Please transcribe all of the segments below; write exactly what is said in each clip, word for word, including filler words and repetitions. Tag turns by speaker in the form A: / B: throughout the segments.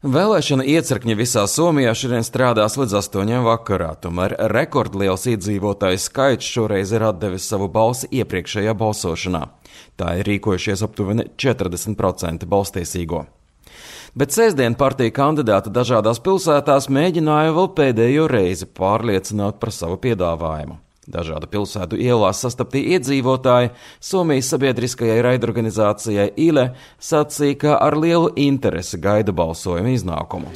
A: Vēlēšana iecirkņi visā Somijā šodien strādās līdz astoņiem vakarā, tomēr rekordliels iedzīvotāju skaits šoreiz ir atdevis savu balsi iepriekšējā balsošanā. Tā ir rīkojušies aptuveni četrdesmit procenti balstiesīgo. Bet sēsdien partija kandidāti dažādās pilsētās mēģināja vēl pēdējo reizi pārliecināt par savu piedāvājumu. Dažādu pilsētu ielās sastaptie iedzīvotāji Somijas sabiedriskajai raidorganizācijai Yle sacīja, ka ar lielu interesi gaida balsojuma iznākumu.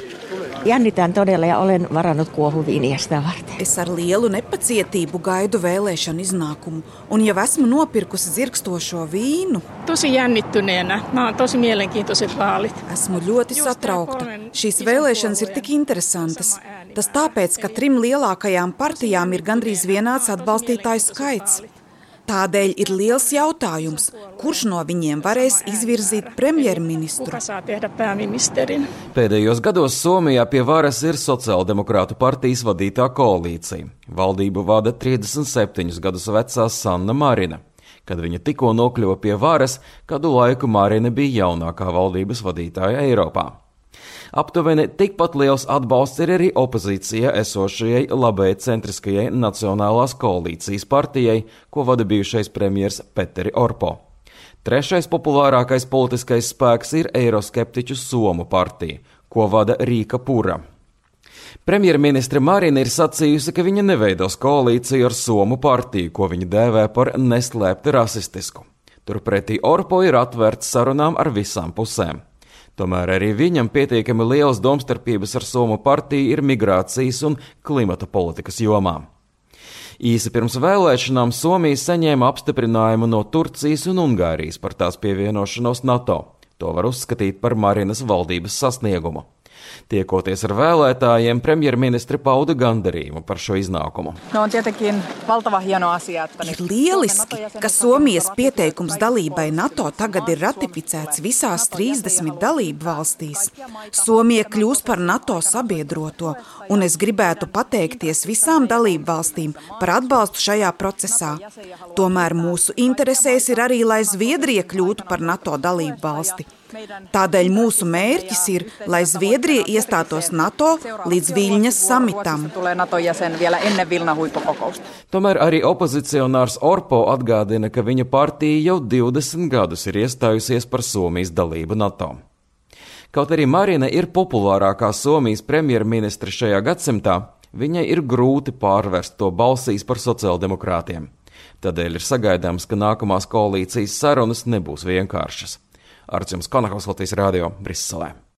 B: Jännitän todella ja olen varannut kuohuviiniä sitä varten.
C: Es ar lielu nepacietību gaidu vēlēšanu iznākumu un jau esmu nopirkusi dzirkstošo vīnu.
D: Tosi jännittyneenä. Nämä on tosi mielenkiintoiset vaalit.
C: Esmu ļoti satraukta. Šīs vēlēšanas ir tik interesantas. Tas tāpēc, ka trim lielākajām partijām ir gandrīz vienāds atbalstītāju skaits. Tādēļ ir liels jautājums, kurš no viņiem varēs izvirzīt premjerministru.
D: Kuka saa tehdä pääministerin?
A: Pēdējos gados Somijā pie varas ir sociāldemokrātu partijas vadītā koalīcija. Valdību vada trīsdesmit septiņus gadus vecā Sanna Marina. Kad viņa tikko nokļuva pie varas, kādu laiku Marina bija jaunākā valdības vadītāja Eiropā. Aptuveni tikpat liels atbalsts ir arī opozīcijā esošajai labējai centriskajai Nacionālās koalīcijas partijai, ko vada bijušais premjers Petteri Orpo. Trešais populārākais politiskais spēks ir eiroskeptiķu Somu partija, ko vada Rīka Pura. Premjerministre Marina ir sacījusi, ka viņa neveidos koalīciju ar Somu partiju, ko viņa dēvē par neslēpti rasistisku. Turpretī Orpo ir atvērts sarunām ar visām pusēm. Tomēr arī viņam pietiekami lielas domstarpības ar Somu partiju ir migrācijas un klimata politikas jomā. Īsi pirms vēlēšanām Somija saņēma apstiprinājumu no Turcijas un Ungārijas par tās pievienošanos NATO. To var uzskatīt par Marinas valdības sasniegumu. Tiekoties ar vēlētājiem, premjerministri pauda gandarījumu par šo iznākumu.
E: No on tietenkin valtava hieno asia, että
C: ir lieliski, ka Somijas pieteikums dalībai NATO tagad ir ratificēts visās trīsdesmit dalību valstīs. Somija kļūs par NATO sabiedroto, un es gribētu pateikties visām dalību valstīm par atbalstu šajā procesā. Tomēr mūsu interesēs ir arī, lai Zviedrija kļūtu par NATO dalību valsti. Tādēļ mūsu mērķis ir, lai Zviedrija iestātos NATO līdz Viļņas samitam.
A: Tomēr arī opozicionārs Orpo atgādina, ka viņa partija jau divdesmit gadus ir iestājusies par Somijas dalību NATO. Kaut arī Marina ir populārākā Somijas premjerministre šajā gadsimtā, viņai ir grūti pārvērst to balsīs par sociāldemokrātiem. Tādēļ ir sagaidāms, ka nākamās koalīcijas sarunas nebūs vienkāršas. Arčuns Konakovs, Latvijas radio, Briselē.